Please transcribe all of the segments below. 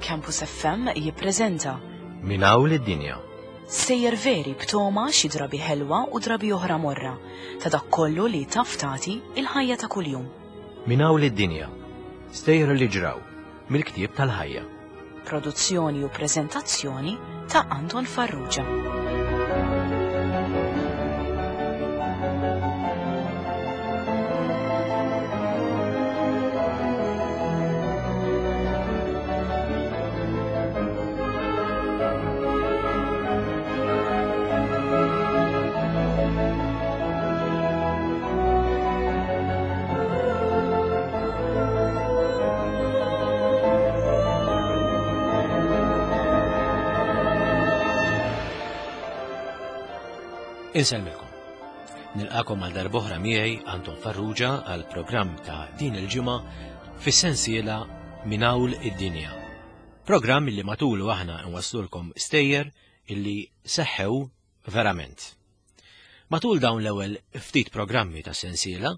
Campus FM jippreżenta Min hawn lid-dinja. Sejjer veri b'toma xi drabi ħelwa u drabi oħra morra ta' dak kollu li taf tagħti il-ħajja ta' kuljum. Min hawn lid-dinja. Stejjer li ġraw mill-ktieb tal-ħajja. Produzzjoni u preżentazzjoni ta' Anton Farrugia. Insellmilkom. Nilqakom għal darboħra miegħi Anton Farrugia għal programm ta' din il-ġimgħa fis-sensiela Minn Hawn id-Dinja. Programm li matulu aħna nwaslulkom stejjer illi seħħew verament. Matul dawn l-ewwel ftit programmi ta' sensiela,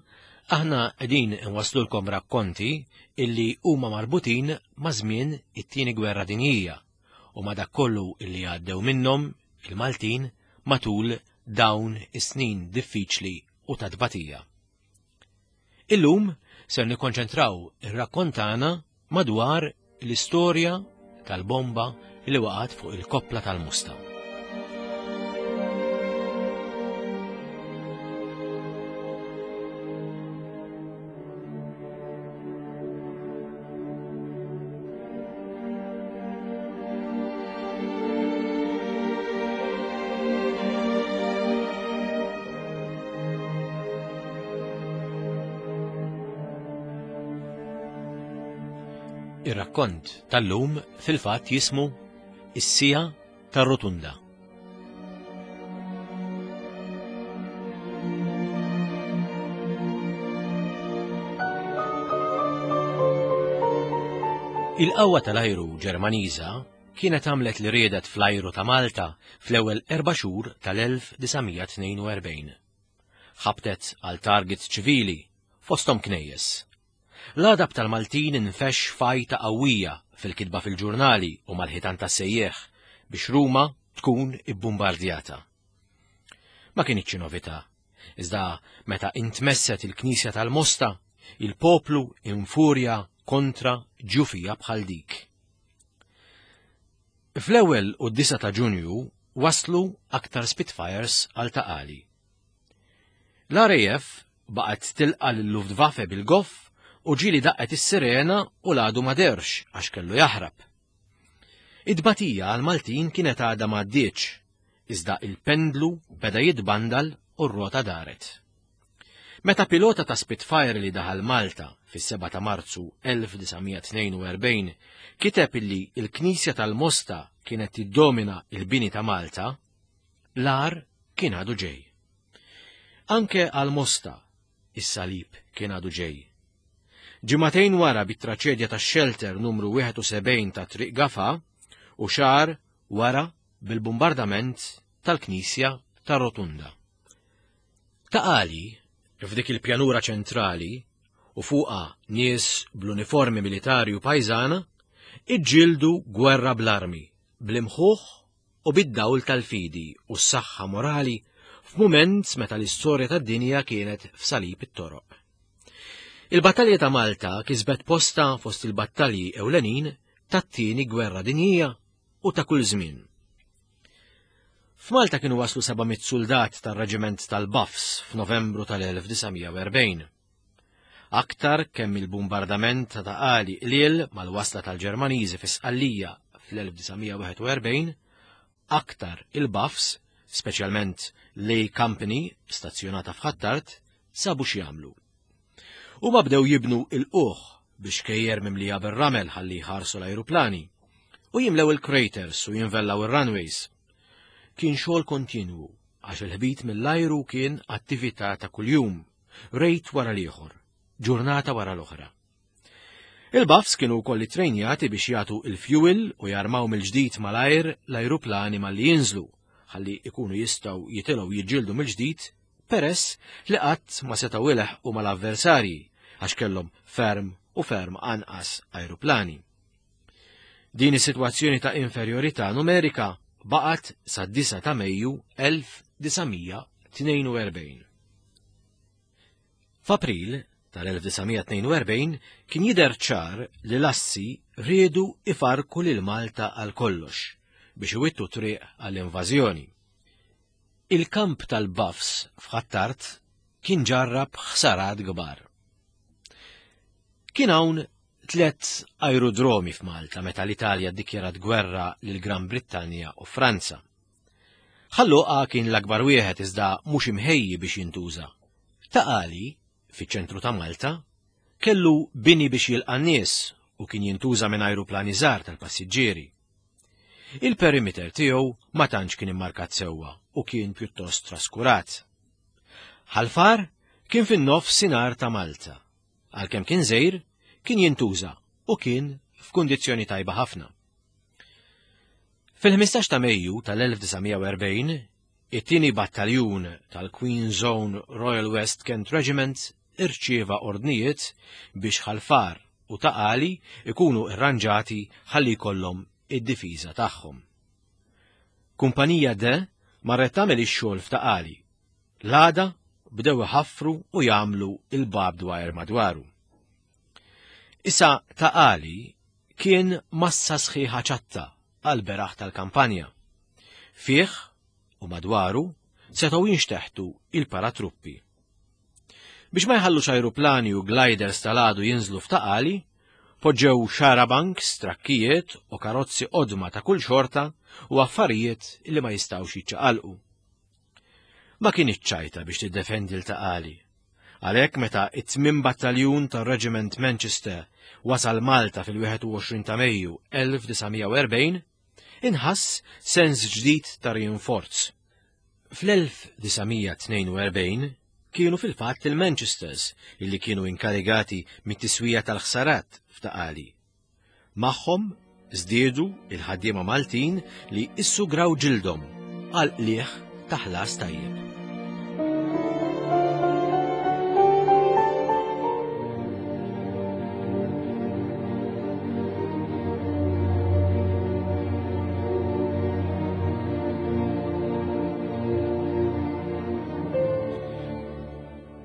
aħna qegħdin nwaslulkom rakkonti illi huma marbutin ma' żmien it-tieni gwerra dinjija u ma' dak kollu illi għaddew minnhom il-Maltin matul dawn is-snin diffiċli u ta' tbatija. Illum ser nikkonċentraw ir-rakkont tagħna madwar l-istorja tal-bomba li waqgħet fuq il-koppla tal-Musta. Ir-rakkont tal-lum fil-fatt jismu Is-Sija tar-Rotunda. Il-qawwa tal-ajru Ġermaniża kienet għamlet li riedet fl-ajru ta' Malta fl-ewwel erba' xhur tal-1942. Ħabtet għal targets ċivili, fosthom knejjes. L-għadab tal-Maltin infexx f'għajta qawwija fil-kitba fil-ġurnali u mal-ħitan tas-sejjieħ biex Ruma tkun ibbumbardjata. Ma kinitx novità, iżda meta intmesset il-Knisja tal-Mosta, il-poplu infurja kontra ġufija bħal dik. Fl-ewwel u d-9 ta' Ġunju waslu aktar Spitfires għal Ta' Qali. L-RAF baqgħet tilqa' lil-Luftwaffe bil-goff u ġieli daqqet is-sirena u l-għadu ma dehrx għax kellu jaħrab. It-tbatija għall-Maltin kienet għadha m'għaddietx, iżda il-pendlu beda jitbandal u r-rota daret. Meta pilota ta' Spitfire li daħal Malta fis-7 ta' Marzu 1942 kiteb illi l-Knisja tal-Mosta kienet tiddomina il-bini ta' Malta, l-agħar kien għadu ġej. Anke għal Mosta, is-salib kien għadu ġej. Ġimagħtejn wara bit-traċedja tax-xelter numru 71 ta' Triq Gafa u xahar wara bil-bumbardament tal-Knisja ta' Rotunda. Ta' Qali, f'dik il-pjanura ċentrali, u fuqha nies bl-uniformi militari u pajżana, iġġieldu gwerra bl-armi, bl-imħuħ u bid-dawl tal-fidi u s-saħħa morali f'mument meta l-istorja tad-dinja kienet f'salib it-toroq. Il-battalja ta' Malta kisbet posta fost il-battalji ewlenin tat-tieni gwerra dinjija u ta' kull żmien. F'Malta kienu waslu 700 suldat tar-Reġiment tal-Buffs f'Novembru tal-1940. Aktar kemm il-bumbardament ta' Taqali qliel mal-wasla tal-Ġermaniżi fi Sqallija fl-1941, aktar il-Buffs, speċjalment l-A Company stazzjonata f'Ħ'Attard, sabu x'jagħmlu. Huma bdew jibnu il-quħ bi xkejjer mimlija bir-ramel ħalli jħarsu l-ajruplani u jimlew il-craters u jinvellaw ir-runways. Kien xogħol kontinwu għax il-ħbit mill-ajru kien attività ta' kuljum, rejt wara l-ieħor, ġurnata wara l-oħra. Il-buffs kienu wkoll ittrejnjati biex jagħtu il-fuel u jarmaw mill-ġdid malajr l-ajruplani malli jinżlu, ħalli ikunu jistgħu jitilgħu jiġġieldu mill-ġdid peress li qatt ma setgħu ileħqu mal-avversarji għax kellhom ferm u ferm anqas ajruplani. Din is-sitwazzjoni ta' inferjorità numerika baqgħet sad-9 ta' Mejju 1942. F'April tal-1942 kien jidher ċar li l-assi riedu ifarrku lil Malta għal kollox biex iwittu triq għall-invażjoni. Il-kamp tal-Buffs f'Ħ'Attard kien ġarrab ħsarat kbar. Kien hawn tlett ajrudromi f'Malta meta l-Italja ddikjarat gwerra lil Gran Brittanja u Franza. Ħal Luqa kien l-akbar wieħed iżda mhux imħejji biex jintuża. Ta' Qali, fiċ-ċentru ta' Malta, kellu bini biex jilqa' n-nies u kien jintuża minn ajruplani żgħar tal-passiġġieri. Il-perimeter tiegħu ma tantx kien immarkat sewwa u kien pjuttost traskurat. Ħal Far kien fin-nofsinhar ta' Malta. Għalkemm kien żgħir, kien jintuża u kien f'kundizzjoni tajba ħafna. Fil-15 ta' Mejju tal-1940, it-tieni battaljun tal-Queen's Own Royal West Kent Regiment irċieva ordnijiet biex Ħal Far u Ta' Qali ikunu irranġati ħalli jkollhom id-difiża tagħhom. Kumpanija D marret tagħmel ix-xogħol f'Ta' Qali. L-għada bdew iħaffru u jagħmlu il-barbed wire madwaru. Issa Ta' Qali kien massa sħiħa ċatta għall-beraħ tal-kampanja. Fih u madwaru setgħu jinxteħtu il-paratruppi. Biex ma jħallux ajruplani u gliders tal-għadu jinżlu f'Ta' Qali, poġġew xarabanks, trakkijiet u karozzi qodma ta' kull xorta u affarijiet li ma jistgħux jiċċaqalqu. Ma kinitx ċajta biex tiddefendi l Ta' Qali. Għalhekk meta it-tmien battaljun tar-Reġiment Manchester wasal Malta fil-21 ta' Mejju 1940, inħass sens ġdid ta' rinforz. Fl-1942 kienu fil-fatt il-Manchesters illi kienu inkarigati mit-tiswija tal-ħsarat f'Ta' Qali. Magħhom żdiedu il-ħaddiema Maltin li issugraw ġildhom għal qligħ ta' ħlas tajjeb.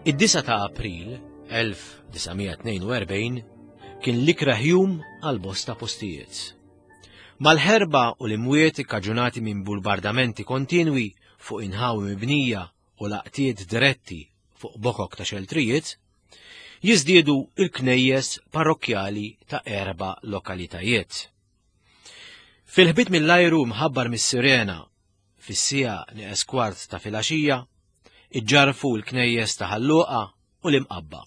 Id-9 ta' April 1942 kien l-ikrah jum għal bosta postijiet. Mal-ħerba u l-imwiet ikkaġunati minn bulbardamenti kontinwi fuq inħawi mibnija u laqtiet diretti fuq bokok ta' xeltrijiet, jiżdiedu il-knejjes parrokkjali ta' erba' lokalitajiet. Fil-ħbit mill-ajru mħabbar mis-sirena fis-siegħa nieqes kwart ta' filgħaxija, iġġarfu l-knejjes ta' Ħal Luqa u l-Imqabba,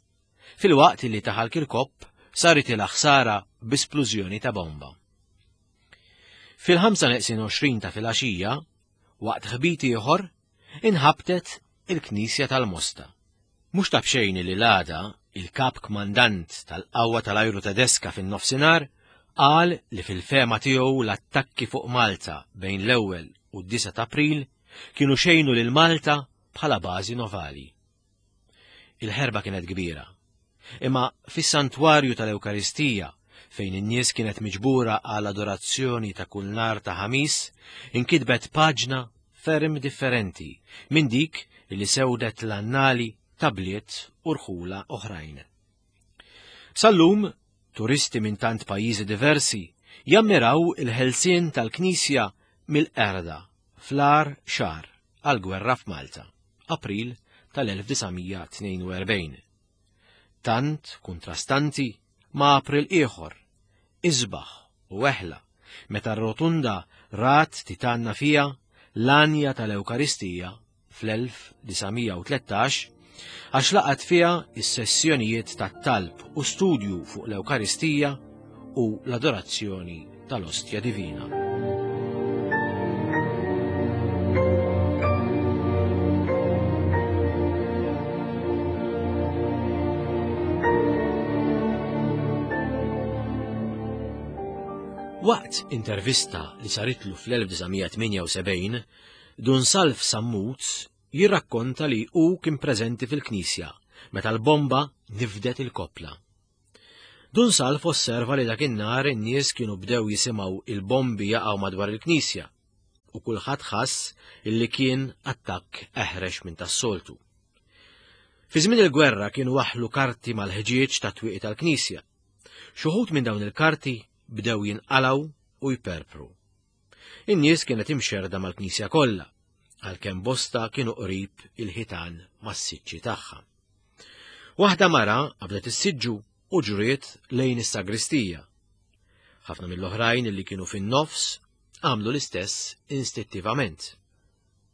filwaqt li ta' Ħal Kirkop saritilha ħsara bi splużjoni ta' bomba. Fil-5 neqsin 20 ta' filgħaxija, waqt ħbit ieħor, inħabtet il-Knisja tal-Mosta. Mhux ta' b'xejn li l-għada, il-Kap Kmandant tal-Qawwa tal-Ajru Tedeska fin-Nofsinhar qal li fil-fehma tiegħu l-attakki fuq Malta bejn l-ewwel u d-9 ta' April kienu xejnu lil Malta bħala bażi novali. Il-ħerba kienet kbira. Imma fis-santwarju tal-Ewkaristija, fejn in-nies kienet miġbura għal adorazzjoni ta' kull nhar ta' Ħamis, inkitbet paġna ferm differenti minn dik li sewdet l-annali ta' bliet u rħula oħrajn. Sal-lum, turisti minn tant pajjiżi diversi jammiraw il-ħelsien tal-Knisja mill-qerda fl-agħar xahar għall-gwerra f'Malta, April tal-1942. Tant kuntrastanti ma' April ieħor, isbaħ u eħla, meta r-Rotunda rat titanna fiha l-għanja tal-Ewkaristija fl-1913 għax laqgħet fiha s-sessjonijiet tat-talb u studju fuq l-Ewkaristija u l-adorazzjoni tal-Ostja Divina. Waqt intervista li saritlu fl-1978, Dun Salv Sammut jirrakkonta li hu kien preżenti fil-knisja meta l-bomba nifdet il-koppla. Dun Salv osserva li dak in-nhar in-nies kienu bdew jisimgħu il-bombi jaqgħu madwar il-knisja u kulħadd ħass illi kien attakk eħrex minn tas-soltu. Fi żmien il-gwerra kienu waħlu karti mal-ħġieġ ta' twieqi tal-knisja. Xi minn dawn il-karti bdew jinqalgħu u jperpru. In-nies kienet imxerda mal-knisja kollha, għalkemm bosta kienu qrib il-ħitan mas-siġġi tagħha. Waħda mara qabdet is-siġġu u ġriet lejn is-sagristija. Ħafna mill-oħrajn li kienu fin-nofs għamlu l-istess instittivament.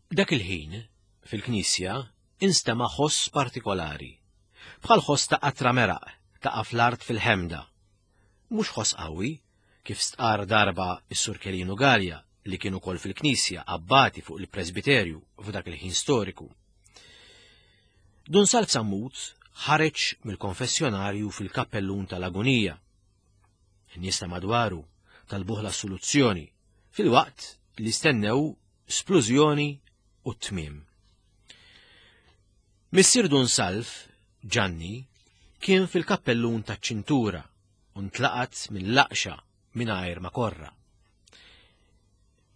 Dak il-ħin, fil-knisja, instema' ħoss partikolari, bħal ħoss ta' qatra meraq taqa' fl-art fil-ħemda. Mhux ħoss qawwi, kif stqarr darba s-Sur Kelinu Galea li kien ukoll fil-knisja abbati fuq il-presbiterju f'dak il-ħin storiku. Dun Salv Sammut ħareġ mill-konfessjonarju fil-kappellun tal-agunija. In-nies ta' madwaru talbuh l-assoluzzjoni filwaqt li stennew splużjoni u t-tmiem. Missier Dun Salv, Ġanni, kien fil-kappellun taċ-ċintura u ntlaqat minn laqxa mingħajr ma korra.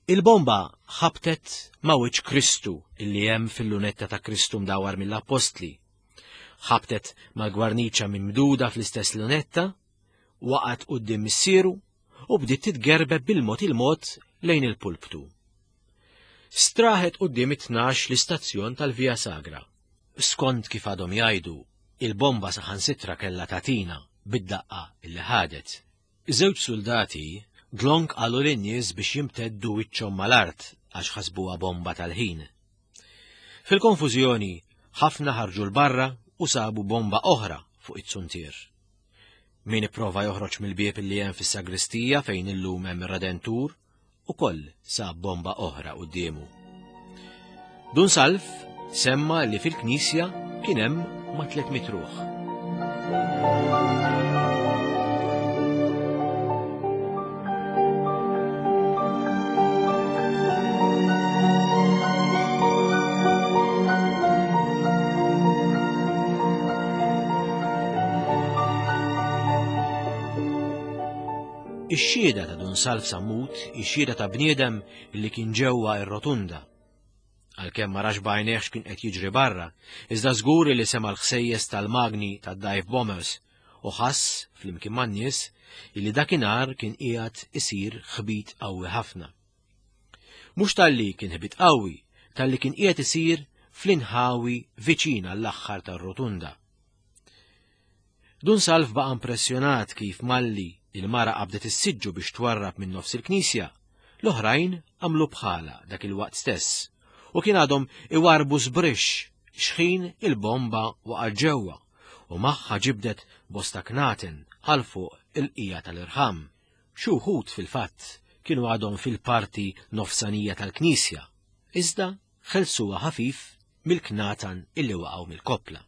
Il-bomba ħabtet ma' wiċċ Kristu illi hemm fil-lunetta ta' Kristu mdawar mill-appostli. Ħabtet mal-gwarniċa mimduda fl-istess lunetta, waqgħet quddiem missieru u bdiet titgerbeb bil-mod il-mod lejn il-pulptu. Straħet quddiem it-tnax l-istazzjon tal-Via Sagra. Skont kif għadhom jgħidu, il-bomba saħansitra kellha tagħtina bid-daqqa illi ħadet. Żewġ suldati dlonk qalu lin-nies biex jimteddu wiċċhom mal-art għax ħasbuha bomba tal-ħin. Fil-konfużjoni, ħafna ħarġu 'l barra u sabu bomba oħra fuq it-zuntier. Min ipprova joħroġ mill-bieb li hemm fis-sagristija fejn illum hemm ir-Redentur, ukoll sab bomba oħra quddiemu. Dun Salv semma li fil-knisja kien hemm ma' 300 ruħ. Ix-xhieda ta' Dun Salv Sammut hi xhieda ta' bniedem li kien ġewwa r-Rotunda. Għalkemm ma rax b'għajnejh x'kien qed jiġri barra, iżda żgur li sema' l-ħsejjes tal-magni tad-dive bombers u ħass, flimkien man-nies, illi dakinhar kien qiegħed isir ħbit qawwi ħafna. Mhux talli kien ħbit qawwi, talli kien qiegħed isir fl-inħawi viċin għall-aħħar tar-Rotunda. Dun Salv baqa' impressjonat kif malli il-mara qabdet is-siġġu biex twarrab minn nofs il-knisja, l-oħrajn għamlu bħalha dak il-waqt stess u kien għadhom iwarrbu żbrixx xħin il-bomba waqgħet ġewwa u magħha ġibdet bosta knaten għal fuq il-qija tal-irħam. Xi wħud fil-fatt kienu għadhom fil-parti nofsanija tal-knisja, iżda ħelsuha ħafif mill-knatan illi waqgħu mill-koppla.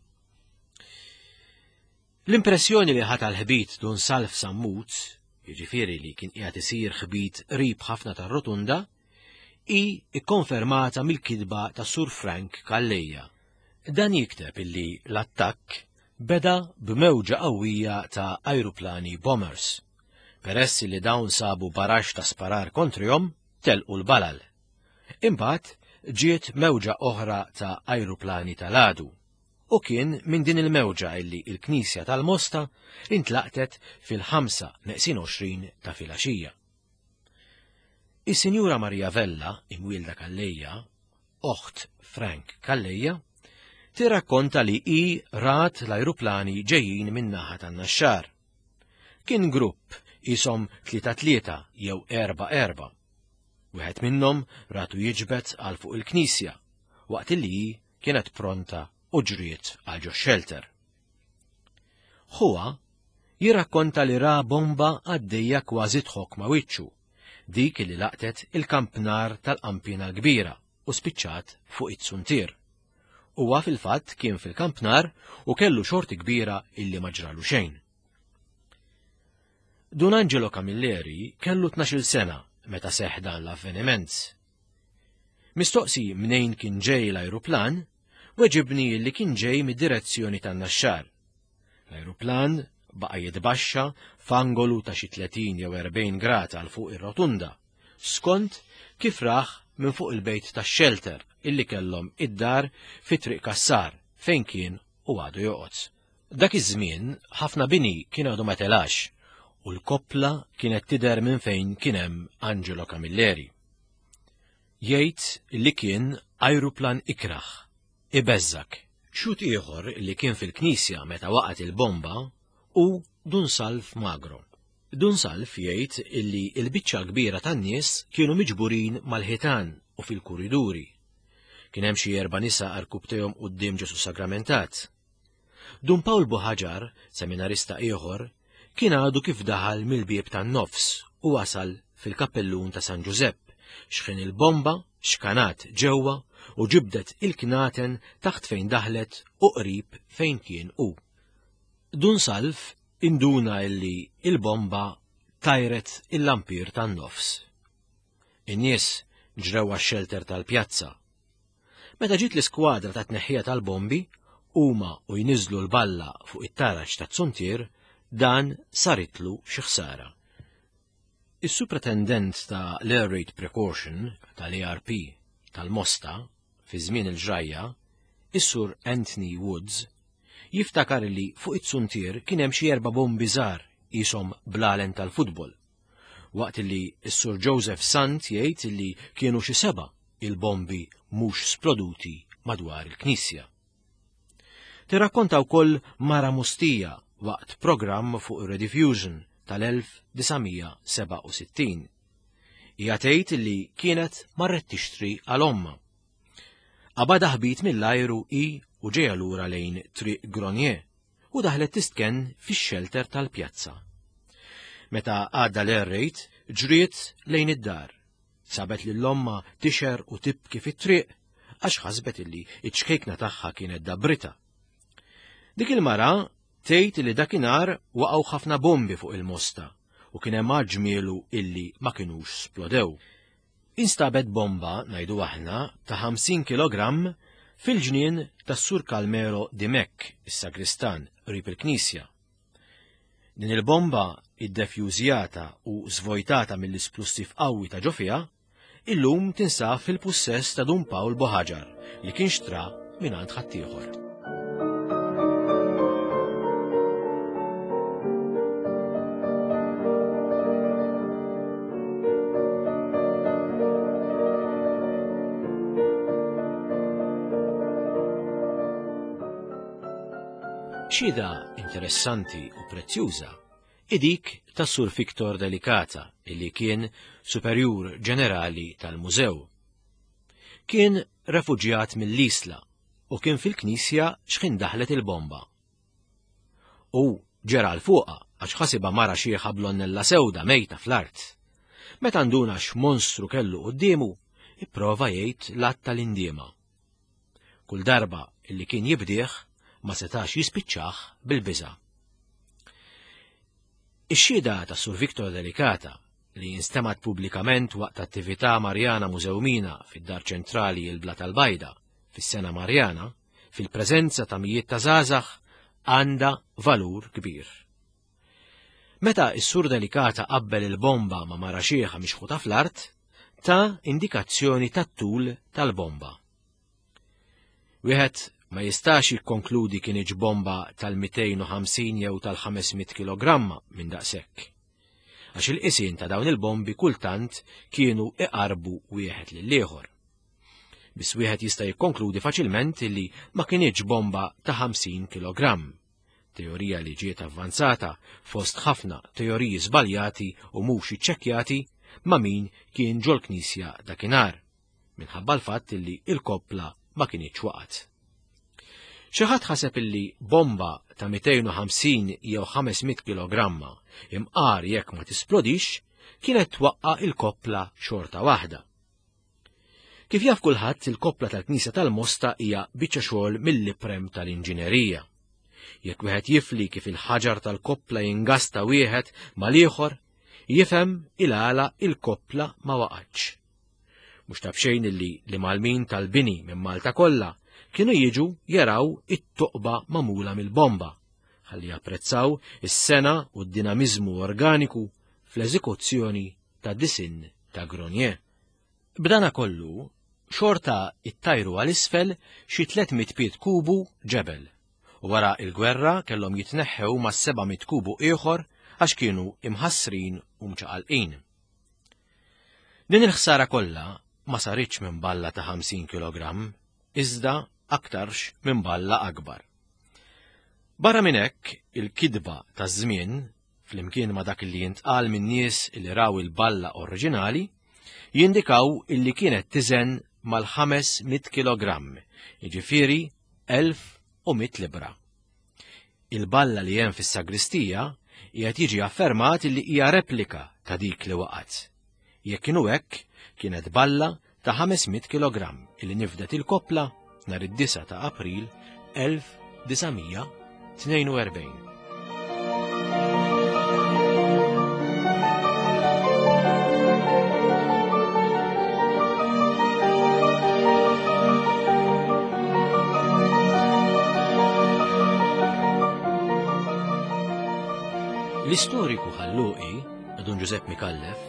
L-impressjoni li ħa tal-ħbit Dun Salv Sammut, jiġifieri li kien qiegħed isir ħbit qrib ħafna tar-Rotunda, hi kkonfermata mill-kitba ta' Sur Frank Calleja. Dan jikteb illi l-attakk beda b'mewġa qawwija ta' ajruplani bombers. Peress li dawn sabu baraxx ta' sparar kontrihom, telqu l-balal. Imbagħad ġiet mewġa oħra ta' ajruplani tal-għadu. U kien minn din il-mewġa illi il-Knisja tal-Mosta intlaqtet fil-5 neqsin 20 ta' filgħaxija. Is-Sinjura Maria Vella, imwielda Calleja, oħt Frank Calleja, tirrakkonta li hi rat l-ajruplani ġejjin min-naħa tan-Naxxar. Kien grupp qishom tlieta tlieta jew erba' erba'. Wieħed minnhom ratu jiġbed għal fuq il-knisja waqt li hi kienet pronta u ġriet għal ġo xelter. Ħuha jirrakkonta li ra bomba għaddejja kważi tħokk ma' wiċċu, dik li laqtet il-kampnar tal-qampina l-kbira u spiċċat fuq it-suntier. Huwa fil-fatt kien fil-kampnar u kellu xorti kbira illi ma ġralu xejn. Dun Angelo Camilleri kellu 12-il sena meta seħħ dan l-avveniment. Mistoqsi mnejn kien ġej l-ajruplan, weġibni li kien ġej mid-direzzjoni tan-Naxxar. L-ajruplan baqa' jitbaxxa f'angolu ta' xi 30 jew 40 grad għal fuq ir-rotunda, skont kif rah minn fuq il-bejt tax-xelter illi kellhom id-dar fi Triq Cassar fejn kien u għadu joqgħod. Dak iż-żmien ħafna bini kien għadu ma telax u l-koppla kienet tidher minn fejn kien hemm Angelo Camilleri. Jgħid li kien ajruplan ikrah, ibeżżgħek. Xhud ieħor li kien fil-knisja meta waqgħet il-bomba hu Dun Salv Magro. Dun Salv jgħid illi l-biċċa l-kbira tan-nies kienu miġburin mal-ħitan u fil-kuriduri. Kien hemm xi erba' nisa għarkupptejhom quddiem Ġesù Sagramentat. Dun Pawl Buħaġar, seminarista ieħor, kien għadu kif daħal mill-bieb tan-nofs u wasal fil-kappellun ta' San Ġużepp, xħin il-bomba xkanat ġewwa u ġibdet il-knaten taħt fejn daħlet u qrib fejn kien hu. Dun Salv induna illi il-bomba tajret il-lampir tan-nofs. In-nies ġrew għax-xelter tal-pjazza. Meta ġiet l-iskwadra ta' tneħħija tal-bombi, huma u jniżżlu l-balla fuq it-taraġ taz-zuntier, dan saritlu xi ħsara. Is-Supretendent ta' l-Air Raid Precaution tal-ARP tal-Mosta fi żmien il-ġrajja, is-Sur Anthony Woods, jiftakar li fuq it-zuntier kien hemm xi erba' bombi żgħar qishom blalen tal-futbol waqt li s-Sur Joseph Sant jgħid li kienu xi seba' il-bombi mhux sploduti madwar il-knisja. Tirrakkonta wkoll Mara Mustija waqt programm fuq Rediffusion tal-1967. Hija tgħid li kienet marret tixtri għal ommha. Qabadha ħbit mill-ajru hi u ġejja lura lejn Triq Gronier u daħlet tistkenn fix-xelter tal-pjazza. Meta għadda l-air raid, ġriet lejn id-dar. Sabet lil ommha tixher u tibki fit-triq għax ħasbet illi iċ-ċkejkna tagħha kienet dabrita. Dik il-mara tgħid li dakinhar waqgħu ħafna bombi fuq il-mosta u kien hemm ġmielu illi ma kinux splodew. Instabet bomba, ngħidu aħna, ta' 50 kilogramm fil-ġnien tas-Sur Calmero Dimech, is-sagristan, qrib il-knisja. Din il-bomba, iddefjużjata u żvojtata mill-isplussiv qawwi ta' ġo fiha, illum tinsab fil-pussess ta' Dun Pawl Boħaġar li kien xtra mingħand ħaddieħor. Xhieda interessanti u prezzjuża hi dik tas-Sur Victor Delicata illi kien Superjur Ġenerali tal-Mużew. Kien refuġjat mill-Isla u kien fil-knisja x'ħin daħlet il-bomba. U ġera 'l fuqha għax ħasibha mara xiħa blonnella sewda mejta fl-art. Meta nduna x'monstru kellu quddiemu, ipprova jgħid l-att tal-indiema. Kull darba illi kien jibdih ma setax jispiċċah bil-biża'. Ix-xhieda ta' Sur Victor Delicata li instemgħet pubblikament waqt attività Marjana Mużewmina fid-Dar Ċentrali il-Bla tal-Bajda fis-sena Marjana, fil-preżenza ta' mijiet ta' żgħażagħ, għandha valur kbir. Meta s-Sur Delicata qabbel il-bomba ma' mara xiħa mixħuta fl-art, ta indikazzjoni tat-tul tal-bomba. Wieħed ma jistax jikkonkludi kinitx bomba tal-250 jew tal-500 kilogramma minn daqshekk. Għax il-qisien ta' dawn il-bombi kultant kienu iqarbu wieħed lill-ieħor. Biss wieħed jista' jikkonkludi faċilment li ma kinitx bomba ta' 50 kilogramm. Teorija li ġiet avvanzata fost ħafna teoriji żbaljati u mhux iċċekkjati ma' min kien ġol-knisja dakinhar. minħabba l-fatt illi il-koppla ma kinitx waqgħet. Xi ħadd ħaseb illi bomba ta' 250 jew 500 kilogramma imqar jekk ma tisplodix kienet twaqqa' il-koppla xorta waħda. Kif jaf kulħadd, il-koppla tal-Knisja tal-Mosta hija biċċa xogħol mill-iprem tal-inġinerija. Jekk wieħed jifli kif il-ħaġar tal-koppla jingasta wieħed mal-ieħor, jifhem il-għala il-koppla ma waqgħetx. Mhux ta' b'xejn illi l-imgħallmin tal-bini minn Malta kollha kienu jiġu jaraw it-toqba magħmula mill-bomba. ħalli japprezzaw is-sena u d-dinamiżmu organiku fl-eżekuzzjoni ta' disinn ta' Gronier. B'dana kollu, xorta ittajru għal isfel xi 300 pied kubu ġebel u wara il-gwerra kellhom jitneħħew ma' 700 kubu ieħor għax kienu imħassrin u mċaqalqin. Din il-ħsara kollha ma saritx minn balla ta' 50 kg, iżda aktarx minn balla akbar. Barra minn hekk, il-kidba taż-żmien, flimkien ma' dak li jintqal minn nies li raw il-balla oriġinali, jindikaw illi kienet tiżen mal-500 kg, jiġifieri 1100 libra. Il-balla li hemm fis-sagristija qiegħed jiġi affermat li hija replika ta' dik li waqgħet. Jekk inhu hekk, kienet balla ta' 500 kg li nifdet il-koppla nhar id-9 ta' April 1942. L-istoriku Ħalluqi, Dun Ġużepp Mikallef,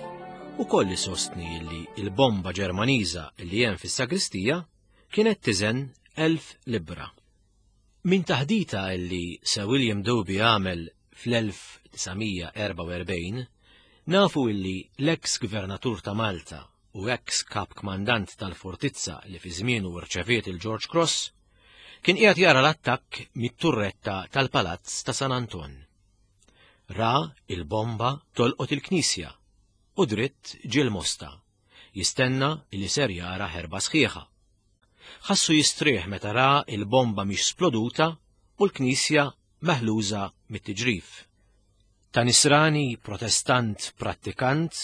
ukoll isostni li l-bomba Ġermaniża li hemm fis-sagristija kienet tiżen 1000 libbra. Minn taħdita li Sir William Doby għamel fl-1944, nafu illi l-eks gvernatur ta' Malta u eks kap kmandant tal-fortizza li fi żmienu rċeviet il-George Cross, kien qiegħed jara l-attakk mit-turretta tal-Palazz ta' San Anton. Ra il-bomba tolqot il-knisja u dritt ġie l-Mosta, jistenna li ser jara ħerba sħiħa. Ħassu jistrieħ meta ra il-bomba mhix sploduta u l-knisja meħluża mit-tiġrif. Ta' nisrani protestant prattikant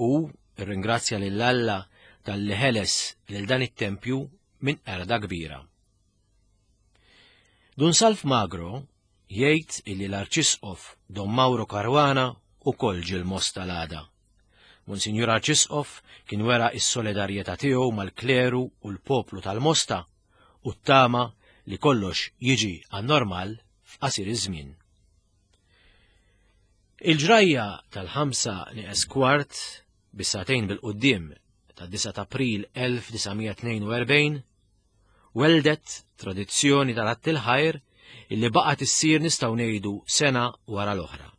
u rringrazzja lil Alla talli ħeles lil dan it-tempju minn qerda kbira. Dun Salv Magro jgħid illi l-Arċisqof Don Mauro Caruana ukoll ġie l-Mosta l-għada. Monsinjur Arċisqof kien wera s-solidarjetà tiegħu mal-kleru u l-poplu tal-Mosta u ttama li kollox jiġi għan-normal f'qasir iż-żmien. Il-ġrajja tal-ħamsa nieqes kwart bis-sagħtejn bil-quddiem tad-9 ta' April 1942 Welldet tradizzjoni tal-Għadd il-Ħajr illi baqgħet issir nistgħu ngħidu sena wara l-oħra.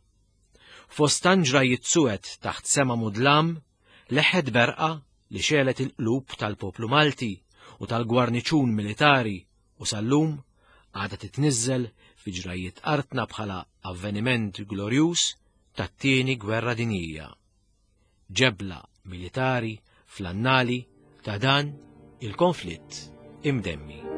Fost tant ġrajjiet suwed taħt sema mudlam, leħħet berqa li xegħlet il-qlub tal-poplu Malti u tal-gwarniċun militari u sal-lum għadha titniżżel fi ġrajjiet artna bħala avveniment glorjuż tat-Tieni Gwerra Dinjija. ġebla militari fl-annali ta' dan il-konflitt imdemmi.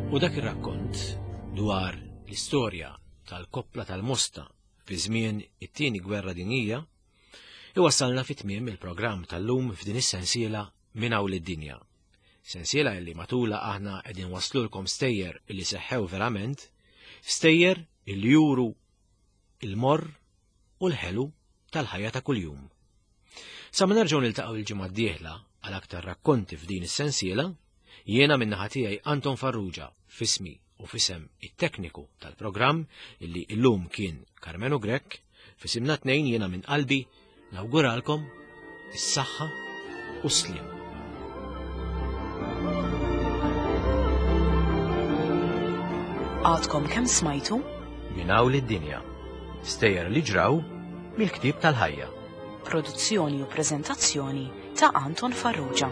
U dak ir-rakkont dwar l-istorja tal-koppla tal-Mosta fi żmien it-tieni gwerra dinjija iwassalna fi tmiem il-programm tal-lum f'din is-sensiela minn hawn lid-dinja. Sensiela li matula aħna qegħdin waslulkom stejjer li seħħew verament, stejjer li juru il-morr u l-ħelu tal-ħajja ta' kuljum. Sa ma nerġgħu niltaqgħu il-ġimgħa d-dieħla għal aktar rakkonti f'din is-sensiela, jiena min-naħa tiegħi Anton Farrugia f'ismi u f'isem it-tekniku tal-programm illi illum kien Karmenu Grech, f'isimna tnejn jiena minn qalbi nawguralkom is-saħħa u s-sliem. Għadkom kemm smajtu? Minn hawn lid-dinja. Stejjer li ġraw mill-ktieb tal-ħajja. Produzzjoni u preżentazzjoni ta' Anton Farrugia.